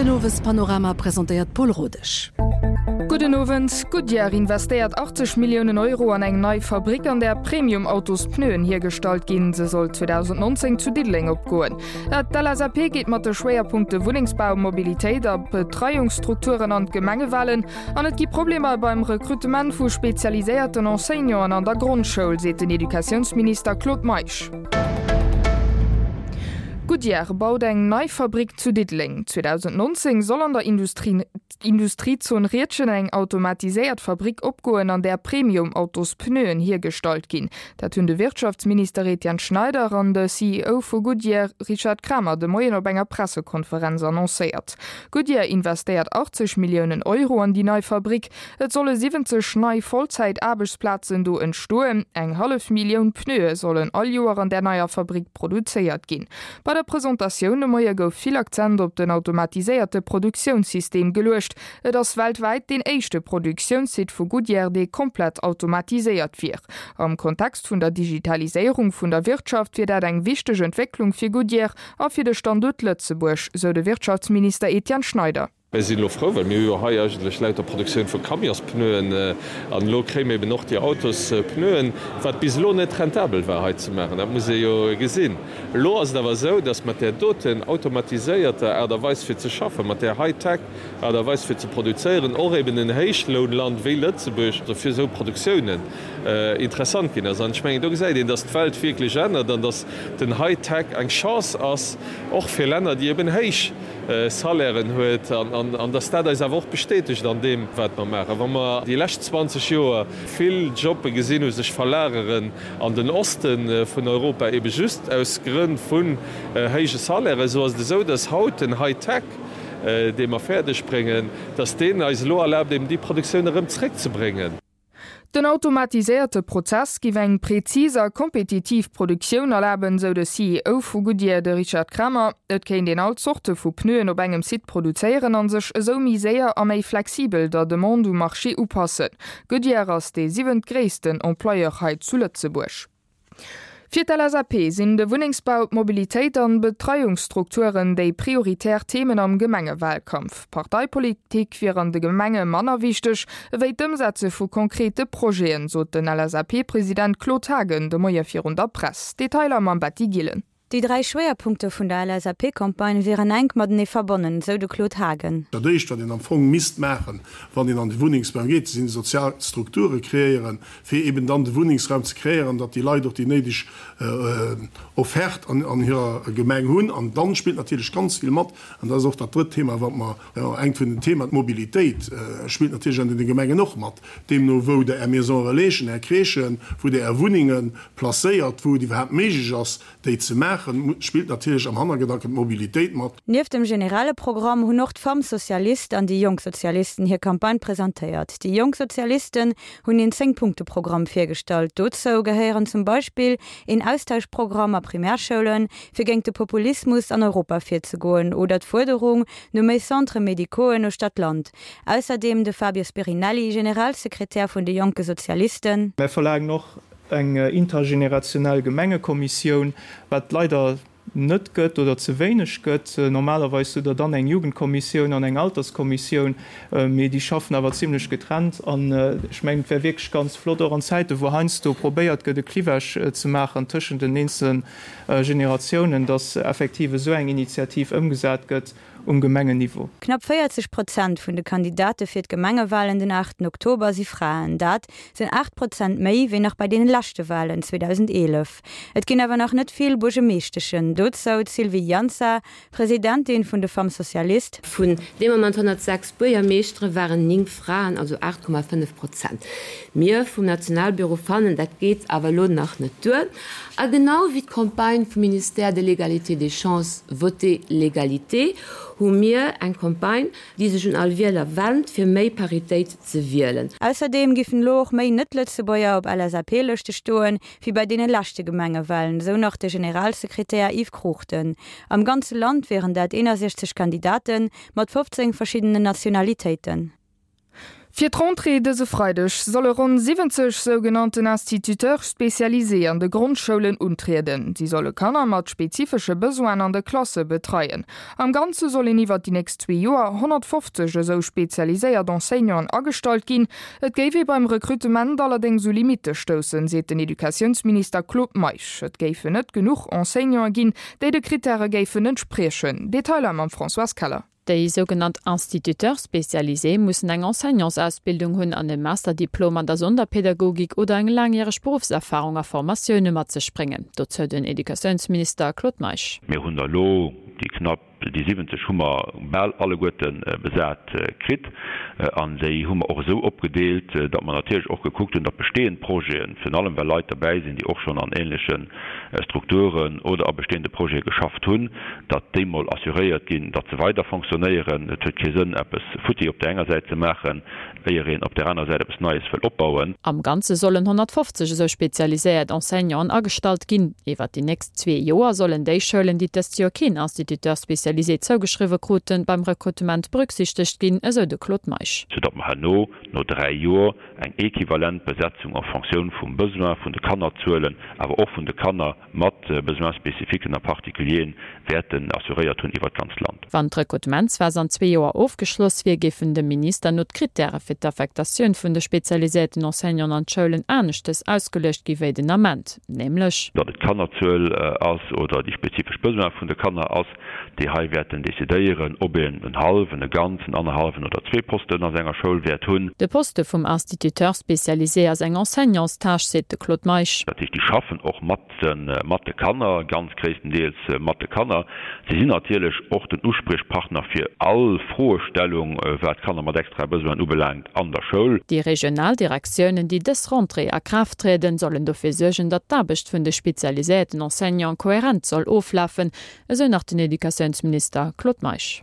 Den Owespanorama presentéiert d'Paul Rodesch. Gudden Owend. Goodyear investéiert 80 Milliounen Euro an eng nei Fabrick, an där Premium-Autospneuen hiergestallt ginn. Se soll 2019 zu Diddeleng opgoen. D'LSAP geet mat de Schwéierpunkte Wunnengsbau, Mobilitéit a Betreiungsstrukturen an d'Gemengewalen. An et gi Problemer beim Rekrutement vu spezialiséierten Enseignanten an der Grondschoul, seet den Educatiounsminister Claude Meisch. Goodyear baut eng nei Fabrick zu Diddeleng. 2019 soll an der Industriezon Riedgen eng automatiséiert Fabrick opgoen, an där Premium-Autospneuen hiergestallt ginn. Dat hunn de Wirtschaftsminister Etienne Schneider an de CEO vu Goodyear Richard Kramer de Moien op enger Pressekonferenz annoncéiert. Goodyear investéiert 80 Milliounen Euro an déi nei Fabrick. Et solle 70 nei Vollzäit-Aarbechtsplazen do entstoen. Eng hallef Millioun Pneue sollen all Joer an där neier Fabrick produzéiert ginn. Bei der Presentatioun de Moie gouf vill Akzent op den automatiséierte Produktiounssystem geluecht. Et ass weltwäit deen éischte Produktiounssite vu Goodyear, dee komplett automatiséiert wier. Am Kontext vun der Digitaliséierung vun der Wirtschaft wier dat eng wichteg Entwécklung fir Goodyear a fir de Standuert Lëtzebuerg, sou de Wirtschaftsminister Etienne Schneider. Mir sinn elo frou, well mir hu jo hei eigentlech lauter Produktioun vu Camionspneuen an elo kréie mir eben och déi Autospneuen, wat bis elo net rentabel war hei ze maachen. Dat muss ee jo gesinn. Elo ass et awer esou, dass mat där doten automatiséierter Aart a Weis fir ze schaffen, mat där High-Tech Aart a Weis fir ze produzéieren, och eben en Héichlounland wéi Lëtzebuerg fir esou Produktiounen interessant ginn ass. An ech mengen, do gesäit een, dass d'Welt wierklech ännert an dass den High-Tech eng Chance ass, och fir Länner, déi eben héich Salairen huet an dass dat eis awer och bestätegt an deem, wat mer maachen. Wa mer déi lescht 20 Joer vill Jobbe gesinn hu sech verlageren an den Oste vun Europa, ebe just aus Grënn vun héije Salairen, esou ass et esou, dass haut den High-Tech, dee mer fäerdeg bréngen, dass deen eis elo erlaabt, eben déi Produktioun erëm zréckzebréngen. Den automatiséierte Prozess giff eng präzis a kompetitiv Produktioun erlaben, sou de CEO vu Goodyear, de Richard Kramer. Et kéint een all Zorte vu Pneuen op engem Site produzéieren an sech esou méi séier a méi flexibel der Demande um Marché upassen. Goodyear ass dee siwentgréissten Employeur hei zu Lëtzebuerg. Fir d'LSAP sinn de Wunnengsbau, d'Mobilitéit an d'Betreiungsstrukturen déi prioritär Themen am Gemengewalkampf. Parteipolitik wier an de Gemenge manner wichteg ewéi d'Ëmsetze vu konkrete Projeten, sot den LSAP-President Claude Haagen de Moie virun der Press. Detailer mam Betty Gillen. Déi 3 Schwéierpunkte vun der LSAP-Campagne wieren enk matenee verbonnen, sou de Claude Haagen. Dat éischt, wat een am Fong misst maachen, wann een an de Wunnengsbau geet, sinn sozial Strukture kreéieren, fir eben dann de Wunnengsraum ze kreéieren, datt déi Leit och déi néideg Offerte an hirer Gemeng hunn. An dann spillt natierlech ganz vill mat, an dat ass och dat drëtt Thema, wat mer, engt vun den Themen, d'Mobilitéit spillt natierlech an deene Gemengen och mat. Deemno wou Der Är Maison relaisen, Är Crèchen, wou Der Är Wunnenge placéiert, wou et iwwerhaapt méiglech ass, déi ze maachen, spillt natierlech am Hannergedanken d'Mobilitéit mat. Nieft dem generelle Programm hunn och d'Femmes Socialistes an déi Jonk Sozialisten hir Campagne presentéiert. Déi Jonk Sozialisten hunn een 10 Punkte Programm virgestallt. Dozou gehéieren zum Beispill een Austauschprogramm a Primärschoulen, fir géint de Populismus an Europa virzegoen oder d'Fuerderung no méi Centres médicauxen no Stad-Land. Ausserdeem de Fabio Spirinelli, Generalsekretär vun de Jonke Sozialisten. Mär verlaangen och eng intergenerationell Gemengekommissioun, wat leider net gëtt oder ze wéineg gëtt. Normalerweis hutt Der dann eng Jugendkommissioun an eng Alterskommissioun, mee déi schaffen awer zimlech getrennt. An ech mengen, et wär wierklech ganz flott, och an Zäiten, wou heiansdo probéiert gëtt, e Clivage ze maachen tëschent den eenzele Generatiounen, dass effektiv esou eng Initiativ ëmgesat gëtt um Gemengenniveau. Knapp 40 Prozent vun de Kandidate fir d'Gemengewalen den 8 Oktober si Fraen. Dat sinn 8 Prozent méi wéi nach bei deene leschte Walen 2011. Et ginn awer nach net vill Buergemeeschteschen. Dozou d'Sylvie Jansa, Presidentin vun de Femmes Socialistes. Vun deem Moment 106 Buergermeeschtere waren 9 Fraen, also 8,5 Prozent. Mir vum Nationalbüro fannen, dat geet awer elo nach net duer. A genau wéi d'Campagne vum Ministère de l'Égalité des chances Votez l'égalité hu mir eng Campagne, déi sech un all Wieler wennt, fir méi Paritéit ze wielen. Ausserdeem giffen elo och méi Net-Lëtzebuerger op LSAP-Lëschte stoen, wéi bei deene leschte Gemengewalen, esou nach de Generalsekretär Yves Cruchten. Am ganze Land wieren dat 61 Kandidaten, mat 15 verschiddenen Nationalitéiten. Fir d'Rentrée dëse Freideg solle ronn 70 sougenannten Instituteurs spécialisés an de Grondschoulen untrieden. Si solle Kanner mat spezifesche Besoinen an de Klasse betreien. Am Ganze soll een iwwert déi nächst zwee Joer 150 esou spezialiséiert Enseignanten agestallt ginn. Et géif ee beim Rekrutement allerdéngs u Limitte stoussen, seet den Educatiounsminister Claude Meisch. Et géifen net genuch Enseignanten ginn, déi de Krittäre géifen entspriechen. Detailer mam Françoise Keller. Déi sougenannt Instituteurs spécialisés mussen eng Enseignantsausbildung hunn an e Masterdiplom an der Sonderpädagogik oder eng laangjäreg Beruffserfarung a Formatioune mat sech bréngen. Dozou den Educatiounsminister Claude Meisch. Mir hunn der elo déi knapp, déi 70 hu mer bal alleguerte besat kritt an déi hu mer och esou opgedeelt, datt mer natierlech och gekuckt hunn, datt bestehend Projeten, virun allem well Leit derbäi sinn, déi och schonn an ähnleche Strukturen oder a bestehende Projete geschafft hunn, datt déi mol assuréiert ginn, datt se weider fonctionnéieren. Et huet kee Sënn, eppes futti op där enger Säit ze maachen, éier een op där anerer Säit eppes Neies wëll opbauen. Am Ganze sollen 150 esou spezialiséiert Enseignanten agestallt ginn. Iwwert déi nächst zwee Joer sollen déi Schoulen, déi dëst Joer keen Instituteur spécialisé zougeschriwwe kruten, beim Rekrutement berücksichtegt ginn, esou de Claude Meisch. Soudatt mer herno no 3 Joer eng equivalent Besetzung en Fonctioun vum Besoin vun de Kannerzuelen, awer och vun de Kanner mat Besoins spécifiquen a particulieren, wäerten assuréiert hunn iwwert d'ganzt Land. Wann d'Rekrutementsphas an zwee Joer ofgeschloss wier, géifen dem Minister no d'Krittäre fir d'Affektatioun vun de spezialiséierten Enseignanten an d'Schoulen aneschtes ausgeluecht gi wéi den Ament, nämlech. Datt et d'Kannerzuel ass oder déi spezifesch Besoin vun de Kanner ass, déi hei wäerten decidéieren, ob een en hallwen, e ganzen, annerhallwen oder zwee Posten a senger Schoul wäert hunn. De Poste vum Instituteur spécialisé ass eng Enseignantstâche, seet de Claude Meisch. Dat heescht, déi schaffen och mat mat de Kanner, ganz gréisstendeels mat de Kanner. Si sinn natierlech och den Uspriechpartner fir all Froestellung, wat Kanner mat extrae Besoinen ubelaangt an der Schoul. Déi regional Direktiounen, déi dës Rentrée a Kraaft trieden, sollen dofir suergen, datt d'Aarbecht vun de spezialiséierten Enseignante kohärent soll oflafen, Esou nach den Educatiounsminister Claude Meisch.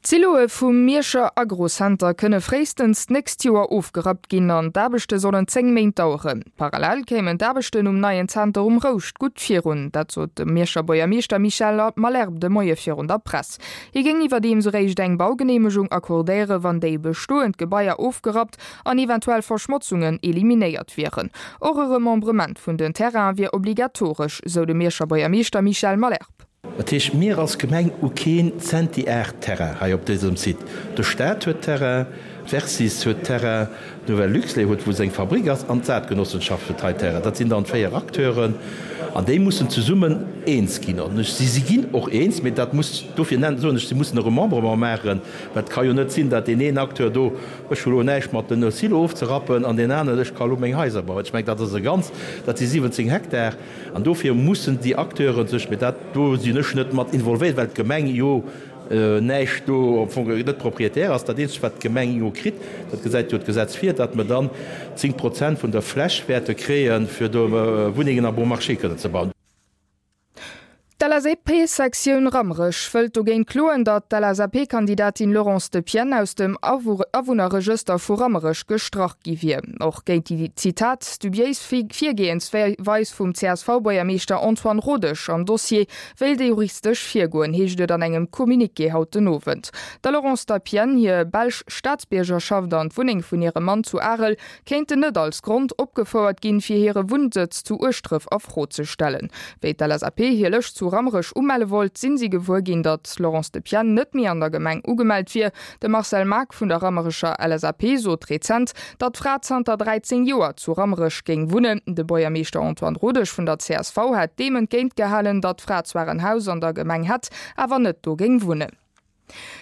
D'Siloe vum Mierscher Agrocenter kënne fréistens d'nächst Joer ofgerappt ginn an d'Aarbechte sollen 10 Méint daueren. Parallel kéimen d'Aarbechten um neien Zenter um Rouscht gutt virun. Dat sot de Mierscher Buergermeeschter Michel Malherbe de Moie virun der Press. Hie géing iwwerdeems eréischt eng Baugeneemegung accordéiere wann déi bestoend Gebaier ofgerappt an eventuell Verschmotzungen eliminéiert wieren. Och e Remembrement vun den Terrainen wier obligatoresch, sou de Mierscher Buergermeeschter Michel Malherbe. Dat heescht, mir als Gemeng hu keen Zentiar Terrain hei op dësem Site. De Staat huet Terrain, d'Versys huet Terrain, d'Nouvelle Luxlait huet, wou seng Fabrik ass, an d'Saatgenossenschaft huet hei Terrain. Dat sinn dann 4 Acteuren an déi mussen zesummen eens ginn. An ech, si ginn och eens, mee dat muss, dofir nennen, soen ech, si mussen e Remembrement maachen, well et ka jo net sinn, datt deen een Acteur do Ech hu lo näischt mat den Silo ofzerappen an deen aneren, ech ka lo meng Haiser bauen. Ech mengen, dat ass e ganz, dat si 17 Hektar an dofir mussen déi Acteure sech, mee dat, do sinn ech net mat involvéiert, well d'Gemeng jo näischt do am Fong net Propriétaire ass. Dat eenzegt, wat d'Gemeng jo kritt, dat gesäit jo d'Gesetz vir, datt mer dann 10 Prozent vun der Fläch wäerte kréien, fir do Wunnengen à bon marché kënnen ze bauen. D'LSAP-Sektioun Rammerech wëllt dogéint kloen, datt d'LSAP-Kandidatin Laurence Depienne aus dem Awunnerregëster vu Rammerech gestrach gi wier. Och géint déi, Zitat, dubiéis Virgehensweis vum CSV-Buergermeeschter Antoine Rodesch am Dossier wéilt ee juristesch virgoen, heescht et an engem Communiqué haut den Owend. Der Laurence Depienne hir belsch Staatsbiergerschaft an d'Wunneng vun hirem Mann zu Arel kéinten net als Grond opgefouert ginn, fir hire Wunnsëtz zu Ueschdref a Fro ze stellen. Wéi d'LSAP hir Lëscht zu Rammerech umelle wollt, sinn si gewuer ginn, datt d'Laurence Depienne net méi an der Gemeng ugemellt wier. De Marcel Maack vun der Rammerecher LSAP sot rezent, datt d'Fra zanter 13 Joer zu Rammerech géing wunnen. De Buergermeeschter Antoine Rodesch vun der csv hätt deem entgéint gehalen, datt d'Fra zwar en Haus an der Gemeng hätt, awer net do géing wunnen.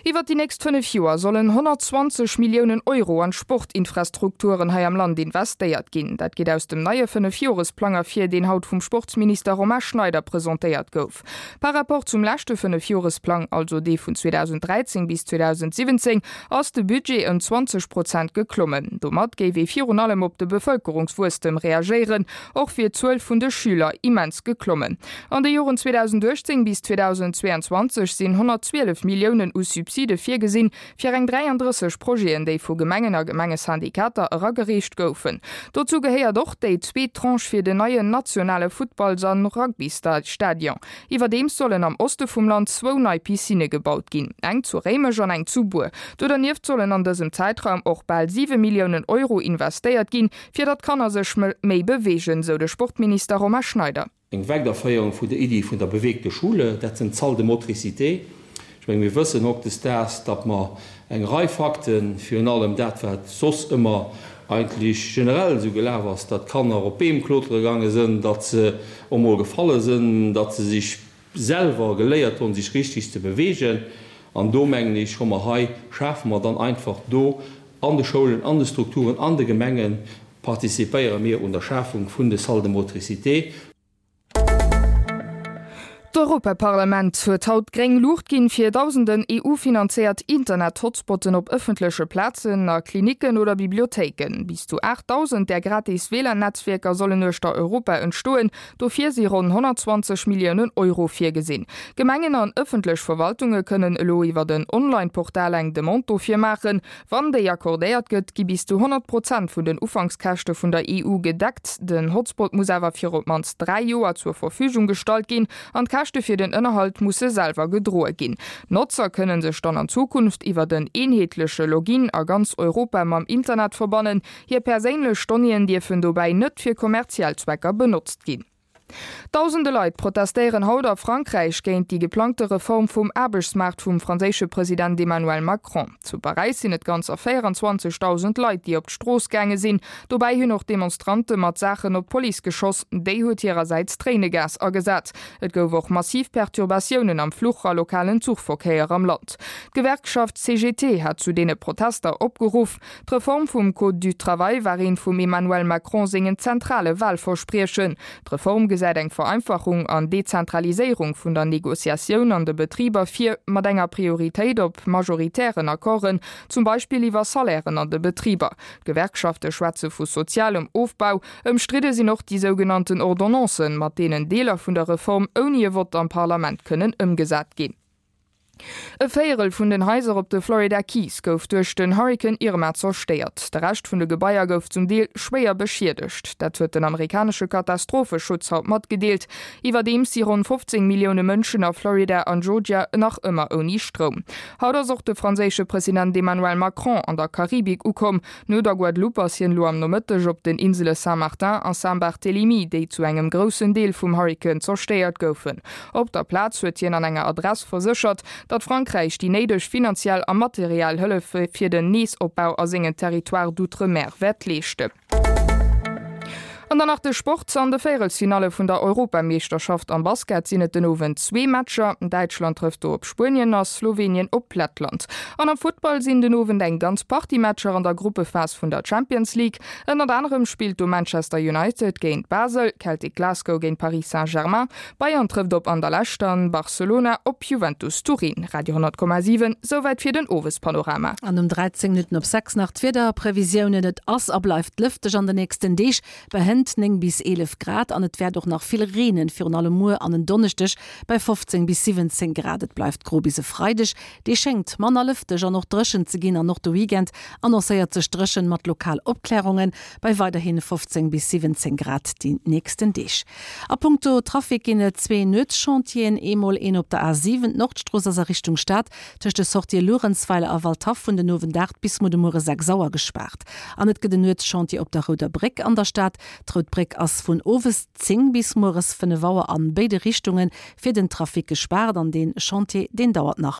Iwwert déi nächst 5 Joer sollen 120 Milliounen Euro an d'Sportinfrastrukturen hei am Land investéiert ginn. Dat geet aus dem neie Fënnefjoresplang ervir, deen haut vum Sportsminister Romain Schneider presentéiert gouf. Par rapport zum leschte Fënnefjoresplang, also dee vun 2013 bis 2017, ass de Budget ëm 20 Prozent geklommen. Domat géif ee virun allem op de Bevëlkerungswuesstem reagéieren. Och wier d'Zuel vun de Schüler immens geklommen. An de Joren 2018 bis 2022 sinn 112 Milliounen. Milliounen u Subside virgesinn, fir eng 33 Projeten, déi vu Gemengen a Gemengesyndikater eragereecht goufen. Dozou gehéiert och déi zweet Tranche fir den neien nationale Futtballs a Rugbystadion. Iwwerdeems sollen am Oste vum Land zwou nei Piscinne gebaut ginn, eng zu Réimech an eng zu Bur. Do dernieft sollen an dësem Zäitraum och bal 7 Milliounen Euro investéiert ginn, fir datt d'Kanner sech méi beweegen, sou de Sportminister Romain Schneider. Eng Weiderféierung vun der Iddi vun der bewegte Schule, dat sinn d'Salles de motricité. Ech menge mir wëssen hautdesdaags, datt mer eng Rei Fakten, virun allem dat wat soss ëmmer eigentlech generell esou gelaf ass, datt d'Kanner op Beem klotere gaange sënn, datt se och mol gefalle sënn, datt se sech selwer geléiert hunn, sech richtig ze bewegen. An do mengen ech, hu mer hei, schafe mer dann einfach do an de Schoulen, an de Strukturen, an de Gemengen, participéiere mir un der Schafung vun de Salles de motricité. D'Europaparlament huet haut gréng Luucht ginn, fir dausenden EU-finanzéiert Internet-Hotspotten op ëffentleche Plazen, a Klinicken oder Bibliothéiken. Bis zu 8.000 där gratis WLAN-Netzwierker sollen uechter Europa entstoen. Dofir si ronn 120 Milliounen Euro virgesinn. Gemengen an ëffentlech Verwaltunge kënnen elo iwwert en Online-Portal eng Demande dofir maachen. Wann déi accordéiert gëtt, gi bis zu 100 Prozent vun den Ufankskäschte vun der EU gedeckt. Den Hotspot muss awer fir op d'mannst 3 Joer zur Verfügung gestallt ginn an d'Käschte fir den Ënnerhalt musse selwer gedroe ginn. D'Notzer kënne sech dann an Zukunft iwwert en eenheetleche Login a ganz Europa mam Internet verbannen. Hir perséinlech Donnéeën dierfen dobäi net fir kommerziell Zwecker benotzt ginn. Dausende Leit protestéieren haut a Frankräich géint déi geplangte Reform vum Aarbechtsmaart vum franséische President Emmanuel Macron. Zu Paräis sinn et ganzer 24.000 Leit, déi op d'Strooss gaange sinn. Dobäi hunn och Demonstrante mat Saachen op d'Police geschoss. Déi huet hirersäits Tréinegas agesat. Et gouf och massiv Perturbatiounen am Fluch a lokalen Zuchverkéier am Land. D'Gewerkschaft CGT hat zu deene Protester opgeruff. D'Reform vum Code du travail war eent vum Emmanuel Macron sengen zentrale Wahlverspriechen. D'Reform gesäit eng Vereinfachung an Dezentraliséierung vun der Negociatioun an de Betriber vir, mat enger Prioritéit op majoritären Accorden, zum Beispill iwwer Salairen an de Betriber. D'Gewerkschafte schwätze vu sozialem Ofbau. Ëmstridde sinn och déi sougenannten Ordonnancen, mat deenen Deeler vun der Reform ouni e Vott am Parlament kënnen ëmgesat ginn. E Véierel vun den Haiser op de Florida Keys gouf duerch den Hurrikan Irma zerstéiert. De Rescht vun de Gebaier gouf zum Deel schwéier beschiedegt. Dat huet den amerikanesche Katastropheschutz haut matgedeelt. Iwwerdeems si ronn 15 Millioune Mënschen a Florida an Georgia nach ëmmer ouni Stroum. Haut ass och de franséische President Emmanuel Macron an der Karibik ukomm. No der Guadeloupe ass hien elo am Nomëtteg op den Insele Saint-Martin a Saint-Barthélemy, déi zu engem groussen Deel vum Hurrikan zerstéiert goufen. Op der Plaz huet hien an enger Adress verséchert, datt Frankräich déi néideg finanziell a materiell Hëllef fir den Neesopbau a sengen Territoires d'outre-mer wäert leeschten. An dann nach de Sport, An de Véierelsfinalle vun der Europameeschterschaft am Basket sinn et den Owend zwee Matcher. Däitschland trëfft do op Spuenien a Slowenien op Lettland. An am Futtball sinn den Owend eng ganz Partie Matcher an der Gruppephas vun der Champions League. Ënnert anerem spillt do Manchester United géint Basel, Celtic Glasgow géint Paris Saint-Germain, Bayern trëfft op Anderlecht an Barcelona op Juventus Turin. Radio 10,7, Souwäit fir den Owespanorama. An um 13 Minutten op 6 nach d'Wiederprevisiounen, Et ass a bleift lëfteg an de nächsten Deeg, bei hënt 9 bis 11 Grad an et wäert och nach vill reenen, virun allem muer an en Donneschdeg bei 15 bis 17 Grad. Et bleift gro bis e Freideg, dee schéngt manner lëfteg an och dréchen ze ginn an och de Weekend annoncéiert sech dréchen mat lokal Opklärungen bei weiderhi 15 bis 17 Grad déi nächsten Deeg. A punkto Trafic ginn et zwee Nuetschantieren, eemol een op der A7, d'Nordstrooss ass a Richtung Stad tëscht de Sortië Luerenzweiler a Waldhaff vun den Owend 8 bis muer de Muere 6 Auer gespaart. An et gëtt en Nuetschantier op der Rouder Bréck an der Stad. D'Rout Bréck ass vun owes 10 bis mueres 5 Auer an béide Richtunge fir den Trafic gespaart an dee Chantier deen dauert nach.